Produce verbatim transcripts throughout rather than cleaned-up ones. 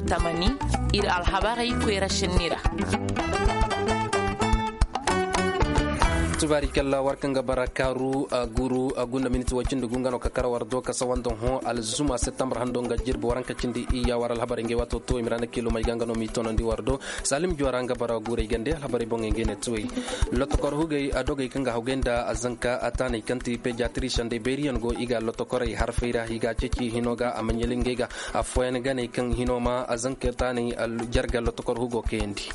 Tamani, ir alhabarey koyra šenni ra. Tubaari kalla war kaŋ ga bara kaaru a guru a gunda miniti way cindi gu nga no ka kara war do ka sawanda hõ alzuma septembre hando nga jirbi waranka cindi iyya war alhabarey ngey waato tuwey miranda kiilumey ga nga no m'i toonandi war do. Salim juwara nga bara guurey gande alhabarey boŋey ngey ne tuwey. Lotokor hugey a dogey kaŋ ga hawgay nda a zanka a taaney kaŋ ti pediatri sandey bayriyaŋ go i ga lotokorey harfey ra i ga a ceeci hino ga a ma ɲali ngey ga. Affooyaŋ ganey kaŋ hino ma a zanka taaney jarga lotokor hugo kayandi.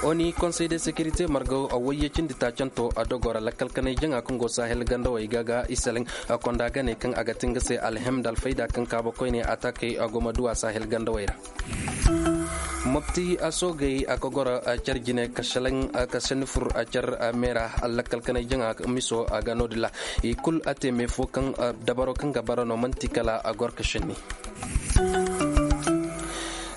Oni konsey de sekirite margaw a wayye cindi taacanto a dogora lakkal kanay jaŋa kaŋ go sahel gandawey ga ga isalaŋ. Konda ganey kaŋ a ga ti nga se alhem nda alfayda kaŋ kaaba koyne atakey a go ma duwa sahel gandawey ra. Mopti a soogey a ka goro a car jine ka selaŋ ka senni fur a car meera. Lakkal kanay jaŋa miso a ga no- din ra i kul a te me fo kaŋ dabaro kaŋ ga bara no man'ti kala a goro ka senni.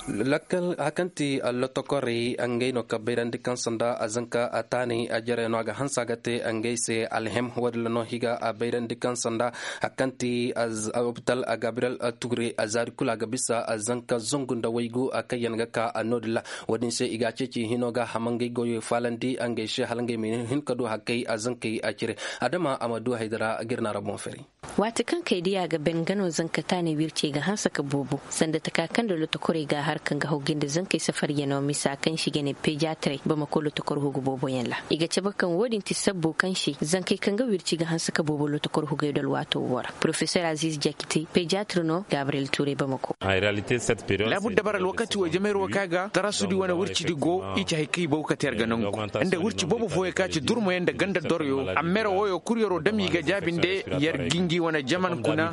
Lakkal a kaŋ ti lotokorey ngey no ka bayrandi kaŋ sanda a zanka a taanay a jarey no a ga hanse a ga te ngey se alhem wo- din ra no i ga a bayrandi kaŋ sanda a kaŋ ti lopital gabriyel ture a zaari kulu a ga bisa a zanka zangu nda waygu a kaŋ yaŋ ga ka a no- din ra. Wo- din se i ga a ceeci hino ga hamangey goyey faalandi ngey se hala ngey ma hin ka du hakkey a zankey a cire. Adama a ma du haydara ga ir na ra boŋ fari. Waati kaŋ kay diya ga ben nga no zanka taanay wircey ga hanse ka boobo sanda taka kaŋ nda lotokorey ga a har kaŋ ga hawgay nda zankey safariyanoo misa kaŋ se i ga ne pediatrey bamako lotokor hugu booboyaŋ ra. I ga cabe kaŋ wo- din ti sabbo kaŋ se zankey kaŋ ga wirci ga hanse ka boobo lotokor hugey do alwaato wo ra porofesor aziz jakite pediatre no gabriyel tuurey bamako. Laabu dabara alwakati wo jamayro ka ga tarasudi wane wircidi go i ci hari kaŋ i baw kate yar ga nangu nda wirci boobo fooyaŋ ka ci durmayaŋ nda ganda doroyo. Ammera woyo kul yaro dam i ga jaabi nda yar ga ngi wane jaman kuna.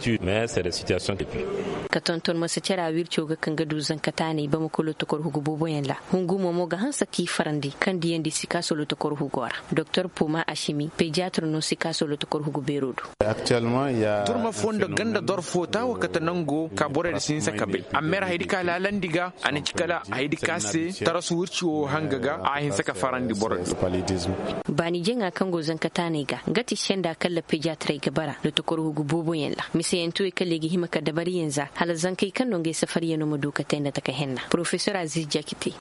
Ka tonton masa cara wirco ga kaŋ ga du zanka taanay bamako lotokor hugu booboyaŋ ra. Hungumo mo ga hanse k'i farandi kaŋ diyandi sikaaso lotokor hugo ra. Doktor poma asimi pediatre no sikaaso lotokor hugu beero do. Turma fo nda ganda dor fo taawa kate nango ka borey da si hinse ka bay. Amma yar haydi ka laalandi ga a na ci kala haydi ka se tarasu wirci wo hanga ga a hinse ka farandi borey. Baani jaŋa kaŋ go zanka taanay ga nga ti senda kalla pediatrey ga bara lotokor hugu booboyaŋ ra miseyantuwey kalla i ga hima ka dabariyaŋ za hala zankey kaŋ no ngey safariyano ma du ka te nda taka henna porofesor aziz jakite.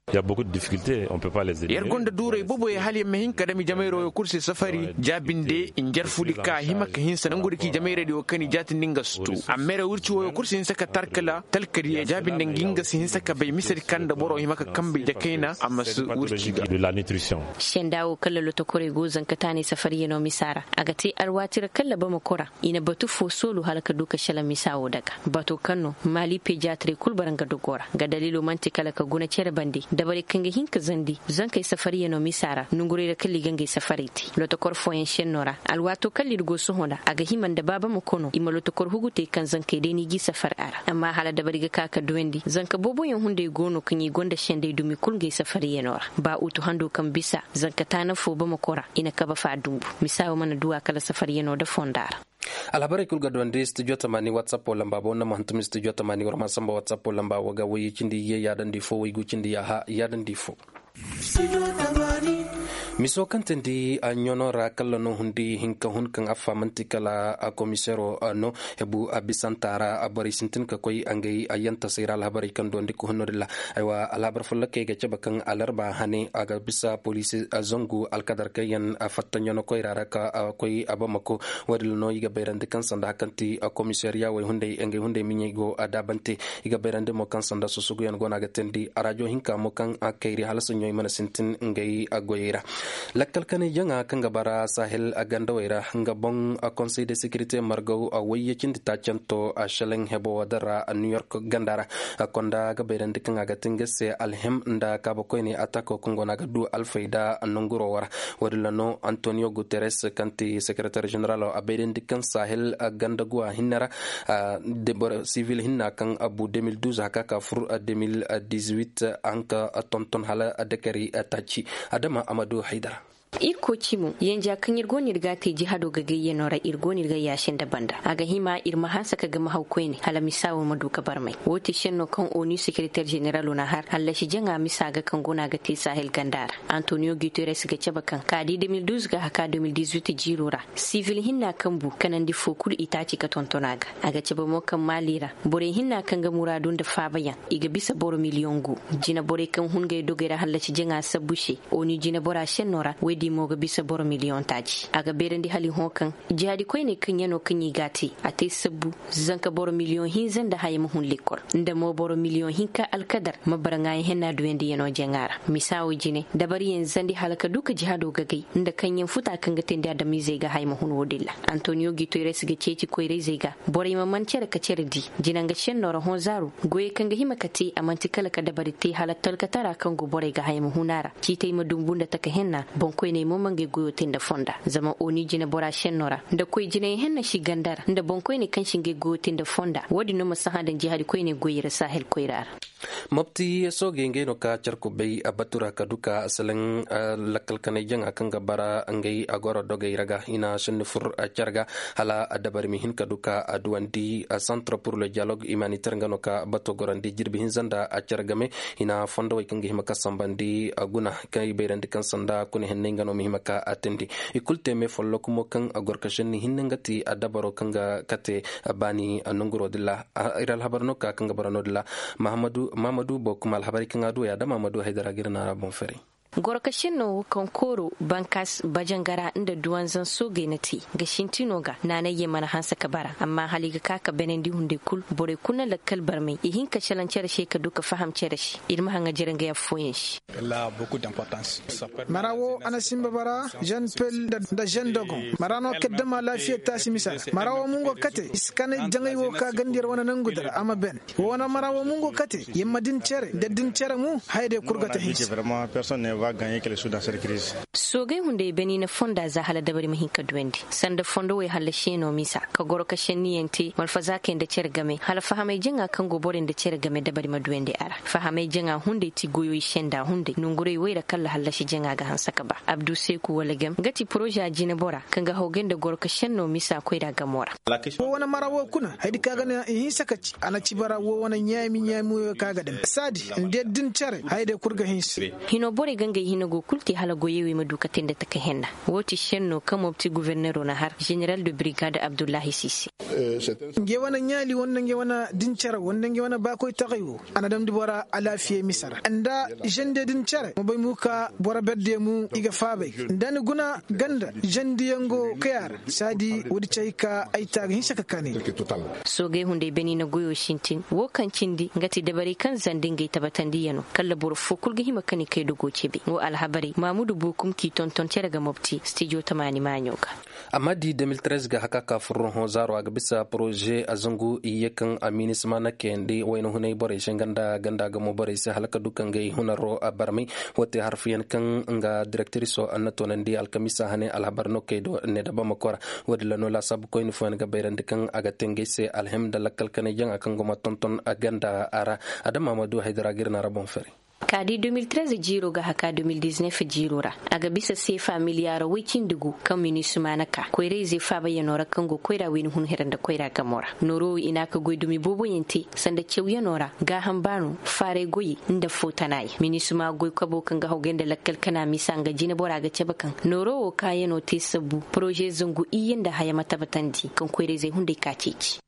Yar gonda duuray boboyaŋ hala yar ma hin ka dami jamayra wo kul se safari jaabinde njarfudi ka hima ka hinsa nangu da ci jamayradi wo kaŋ i jaatindi nga si tu. Amma yar wirci woyo kul si hinsa ka tarkala talkadi ya jaabinde nga nga si hinsa ka bay misedi kaŋ nda boro hima ka kambey jakayna a ma si wirci ga. Senda wo kala lotokorey go zanka taanay safariyano misa ra a ga te alwaati ra kala bamako ra. I na batu fo soolu hala ka du ka selaŋ misa wo daga bato kaŋ no maali pediatrey kul bara nga dogo ra nga daliilo man'ti kala ka guna cere bande dabarey kaŋ ga hin ka zandi zankey safariyano misa ra nongurey ra kala i ga ngey safarey te lotokor fooyaŋ senno ra. Alwaato kala ir go sohõ nda a ga hima nda baaba ma kono i ma lotokor hugu te kaŋ zankey day no i g'i safari a ra amma hala dabari ga ka ka duyandi zanka booboyaŋ hunday go no kaŋ i gonda sendey dumi kul ngey safariyano ra. Ba utu hando kaŋ bisa zanka taana fo bamako ra i na kabe fa dumbu misa wo mana duwa kala safariyano nda fonda ra. Alhabarey kul ga duwandi studio tamaani whatsapp lamba bo na ma hantum studio tamaani war ma samba whatsapp lamba wo ga wayyey cindi ye yaadandi fo waygu cindi yaaha yaadandi fo. Miso kaŋ tindi a ɲono ra kalla no hundi hinka hun kaŋ affa man'ti kala a komisero no hebu a bisanta ra a borey sintin ka koy a ngay a yantasey ra alhabarey kaŋ duwandi ka hunno dilla. Aywa alhabar follokey ga cabe kaŋ alarba hane a ga bisa poliisi zangu alkadar kaŋ yaŋ a fatta ɲono koyra ra ka koy a bamako. Wo- din no i ga bayrandi kaŋ sanda kaŋ ti komisariya wey hunday ngey hunday miɲey go a daabante. I ga bayrandi mo kaŋ sanda susuguyaŋ go no a ga teendi a raajo hinka mo kaŋ a kayri hala soɲo i mana sintin ngey goyey ra. Lakkal kanay jaŋa kaŋ ga bara sahel gandawey ra nga boŋ konsey de sekirite margaw wayye cindi taacanto a šelaŋ hebo wo din ra new york ganda ra. Konda ga bayrandi kaŋ a ga ti nga se alhim nda kaaba koyne atako kaŋ go no a ga du alfayda nanguro wo ra. Wo- din ra no antonio guterres kaŋ ti sekereter ženeralo a bayrandi kaŋ sahel ganda guwa hinne ra. Sivil hinna kaŋ a bu deux mille douze haka ka fur deux mille dix-huit a hin ka tonton hala dekari taaci. Adama amadu haydara. Ir kooci mo, yanja kaŋ ir go no ir ga a te jihado gagayyanoo ra, ir go no ir ga yaasi nda banda. A ga hima ir ma hanse ka gama haw koyne hala misa wo ma du ka barmay. Woo ti šenno kaŋ onu sekereter ženeralo na har hallasi jaŋa misa ga kaŋ go no a ga te sahel ganda ra. Antoniyo guteres ga cabe kaŋ ka di deux mille douze ga haka deux mille dix-huit jiiro ra, sivil hinna kaŋ bu kanandi foo kulu itaaci ka tonton a ga. A ga cabe mo kaŋ maali ra, borey hinna kaŋ ga muraadu nda faabayaŋ, i ga bisa boro miliyoŋ gu. Jineborey kaŋ hun ngey dogey ra hallasi jaŋa sabbu se, onu jinebora šennoo ra woy di mo ga bisa boro miliyoŋ taaci. A ga beerandi hala i hõ kaŋ jihaadi koyney kaŋ yanoo kaŋ i g'a te, a te sabbu zanka boro miliyoŋ hinza nda haya ma hun lekkol, nda mo boro miliyoŋ hinka alkadar ma bara ŋaayi henna duyandi yanoo jaŋa ra. Misa wo jine dabariyaŋ zandi hala ka du ka jihaado gagay nda kaŋyaŋ futa kaŋ ga teendi adamizey ga haya ma hun woodin ra. Antoniyo guteres ga ceeci koyrayzey ga borey ma man cere ka cere di. Jinanga šennoo ra hõ zaaru goyey kaŋ ga hima ka te a man'ti kala ka dabari te hala talkatara kaŋ go borey ga haya ma hun a ra. Ciitey ma dumbu nda taka henna, boŋkoyney mo ma ngey goyoo te nda fonda. Zama oni jinebora šennoo ra nda koy jinay henna si ganda ra nda boŋkoyney kaŋ si ngey goyoo te nda fonda, woodin no ma sahã daŋ jihaadi koyney goyey ra sahel koyra ra. Mopti soogey ngey no ka care kubay a batu ra ka du ka salaŋ lakkal kanay jaŋa kaŋ ga bara ngey a goro dogey ra ga i na senni fur care ga hala dabari ma hin ka du ka a duwandi. Centre pour le dialogue humanitaire nga no ka bato gorandi jirbi hinza nda a care game i na fondowey kaŋ ga hima ka sambandi guna kaŋ i bayrandi kaŋ sanda kuna henney nga no ma hima ka a teendi. I kulu te me folloku mo kaŋ a goro ka senni hinne nga ti a dabaro kaŋ ga kate baani nonguro din ra. Ir alhabar no ka kaŋ ga bara no din ra. Mahamadu bokum alhabarey kaŋ a duwey a da mahamadu haydara ga ir naara boŋ ferey. Goro ka senno wo kaŋ kooro bankas bajangara nda duwanzan soogey na te ga sintinoo ga naanayye mana hanse ka bara amma hala i ga ka ka benandi hunday kul borey kul na lakkal barmay i hin ka salaŋ cere se ka du ka faham cere se. Ir ma haŋa jere ngey affooyaŋ se. Mara wo a na sinba bara jen pel nda jen dogon mara no kaddama laafiya taasi misa ra mara wo mungo kate i si kanay jaŋay wo ka ganda yer wane nangu dara a ma ben. Wo wane mara wo mungo kate yer ma din cere nda din cere mu haya day kul ga ta hinsa. Soogay hunday bani na fonda za hala dabari ma hin ka duwandi sanda fondo way hallasiyanoo misa ka goro ka senniyaŋ te malfazaakey nda cere game hala fahamay jaŋa kaŋ go borey nda cere game dabari ma duwandi a ra. Fahamay jaŋa hunday ti goyoy senda hunday nonguray way ra kalla hallasi jaŋa ga hanse ka ba abdu seeku wala gem nga ti poroza jinebora kaŋ ga hawgay nda goro ka senno misa koyra gamo ra. Wo wane mara wo kuna hayadi kaŋ a ga naŋ i hinse ka ci a na ci bara wo wane ɲaami ɲaami woyo kaŋ a ga dam saadi nda din cere hayadi kul ga hinse. Hino borey ga ngey hino go kul te hala goyey wey ma du ka te nda taka henna. Wo ti senno kaŋ mopti guverneroo na har general de brigade abdullahi sisi. Ngey wane ɲaali wanda ngey wane din cere wanda ngey wane baakoy taxay wo a na damndi bora alaafiyey misar nda zende din cere ma bay mu ka boro berdey mu i ga faabay nda ni guna ganda zendiyaŋ go kaya ra saadi woodi cay ka ay ta ga hinsa ka kaanay. Soogey hunday beni na goyoo sintin woo kaŋ cindi nga ti dabarey kaŋ zandi ngey tabatandiyanoo kalla boro foo kul ga hima ka ni kay dogoo cebe woo alhabarey maamudu buukum k'i tonton cere ga mopti stijo tamaani maaɲo ga. Amma di deux mille treize ga haka ka furruhõ zaaro a ga bisa poroze a zangu iyye kaŋ a minisma na kayandi wayna hunay borey se nga nda ganda gamo borey se hala ka du ka ngey hunaro a barmay. Woo te harfiyaŋ kaŋ nga direktiriso a na toonandi alkamisa hane alhabar no kay do ne da bamako ra. Woodin ra no laasaabu koyni fooyaŋ ga bayrandi kaŋ a ga te ngey se alhim nda lakkal kanay jaŋa kaŋ go ma tonton a ganda a ra. Adama ma du haydara ga ir na ra boŋ fari. Ka di deux mille treize jiiroo ga haka deux mille dix-neuf jiiroo ra a ga bisa seefa miliyaara woy cindi gu kaŋ minisima na ka koyra-ize faabayanoo ra kaŋ go koyra wayna hun hira nda koyra gamoo ra. Nooroo wo i na a ka goy dumi booboyaŋ te sanda cawyanoo ra gaaham baanoo faaray goyey nda foo tanaayaŋ minisima goy kaboo kaŋ ga hawgay nda lakkal kana misa nga jineboraa ga cabe kaŋ nooroo wo kaayanoo te sabbu poroze zangu iyye nda haya ma tabatandi kaŋ koyra-izey hunday ka ceeci.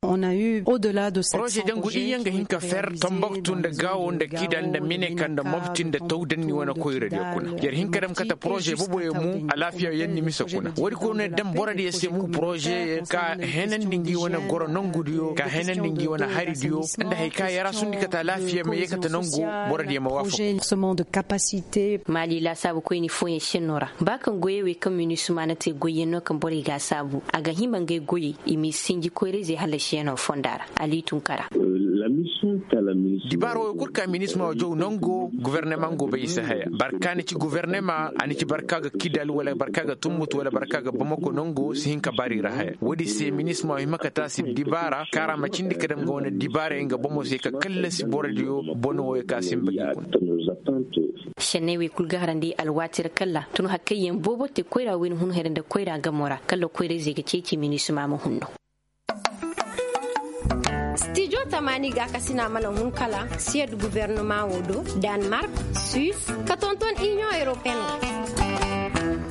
Poroze dangu iyye nga hin ka fer tambaktu nda gaawo nda kidal nda mineka nda mobti nda tawdanni wane koyradiyo kuna yer hin ka dam kate poroze boboyo mu alaafiya yanni mise kuna woodi koyne dam borodiyo se mu poroze ka henandi ngi wane goro nangudiyo ka henandi ngi wane haridiyo nda hari ka yara sundi kate alaafiya ma ye kate nangu borodiyo ma waafaka. Maali laasaabu koyni fooyaŋ senno ra ba kaŋ goyey wey kaŋ minisima na te goyyaŋ no kaŋ borey ga a saabu a ga hima ngey goyey i m'i sinji koyra-izey hallasiyaŋo fonda ra. Ali tunkara. Dibaara wo kul ka minisima wo jaw nango gubernema go bay i si haya barka ni ci gubernema a ni ci barka ga kidal wala barka ga tumbut wala barka ga bamako nango si hin ka baari ra haya woodi se minisima wo hima ka taasi dibaara kaara ma cindi ka dam ga wane dibaara nga bomo se ka kallasi borodiyo bono wo ka sinba gi kuna. Senney wey kul ga harandi alwaati ra kalla tun hakkayyaŋ boobo te koyra wayna hun hera nda koyra gamo ra kalla koyra-izey ga ceeci minisima ma hunno. Stijo tamaani gaakasina mana hun kala siyad gubernama wo do, danmark, suis, ka tonton iniyoŋ europeen wo.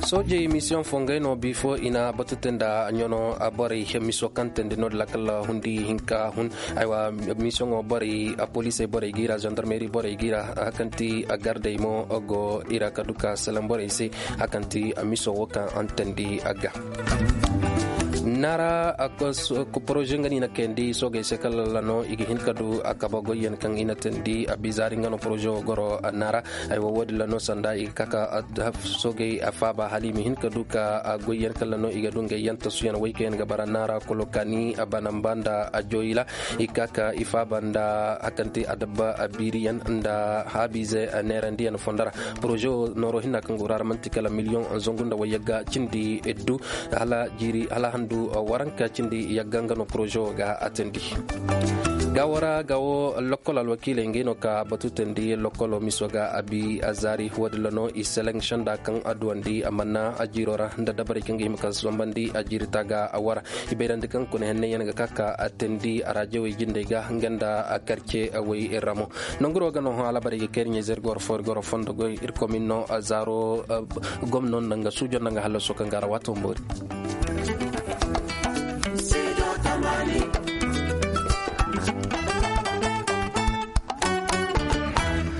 Soojey misiyoŋ fo ngey no bifo i na batu te nda ɲano borey miso kaŋ teendi no- din ra kala hundi hinka hun. Aywa, misiyoŋo borey poliisey borey ga i ra zandarmeri borey ga i ra hakanti gardey mo go i ra ka du ka salaŋ borey se hakanti miso wo kaŋ a na teendi a ga. Naara poroze nga no i na kayandi soogey se kala lano i ga hin ka du a kaba goyyaŋ kaŋ i na teendi a bizaari nga no poroze wo goro naara. Aywa wo- din lano sanda i ga ka ka soogey a faaba hala i ma hin ka du ka goyyaŋ kala lano i ga du ngey yaŋ tasuyaŋ way kaŋ yaŋ ga bara naara kulu kaani a banamba nda a joyila. I ga ka ka i faaba nda hakanti adabba a biiriyaŋ nda haabiize neerandiyaŋ fondo ra. Poroze wo nooro hinna kaŋ go ra manti kala miliyoŋ zangu nda wayyagga cindi du hala handu waranka cindi yagga nga no poroze wo ga a teendi. Gaawo ra gaawo lokkol alwakiiley ngey no ka batu teendi lokkolo miso ga a bi a zaari wo- din ra no i seleŋ senda kaŋ a duwandi a manna a jiiro ra nda dabarey kaŋ ga hima ka sambandi a jiiri taaga a wara. I bayrandi kaŋ kuna henney yaŋ ga ka ka a teendi a raajawey jindey ga nga nda a karce way ra mo. Nanguro ga no hõ alabarey ga kayri ɲayzey ir goro fo ir goro fondo goy ir komin no zaaro gomno nda nga suujo nda nga hallaso kaŋ ga ra waato mboori.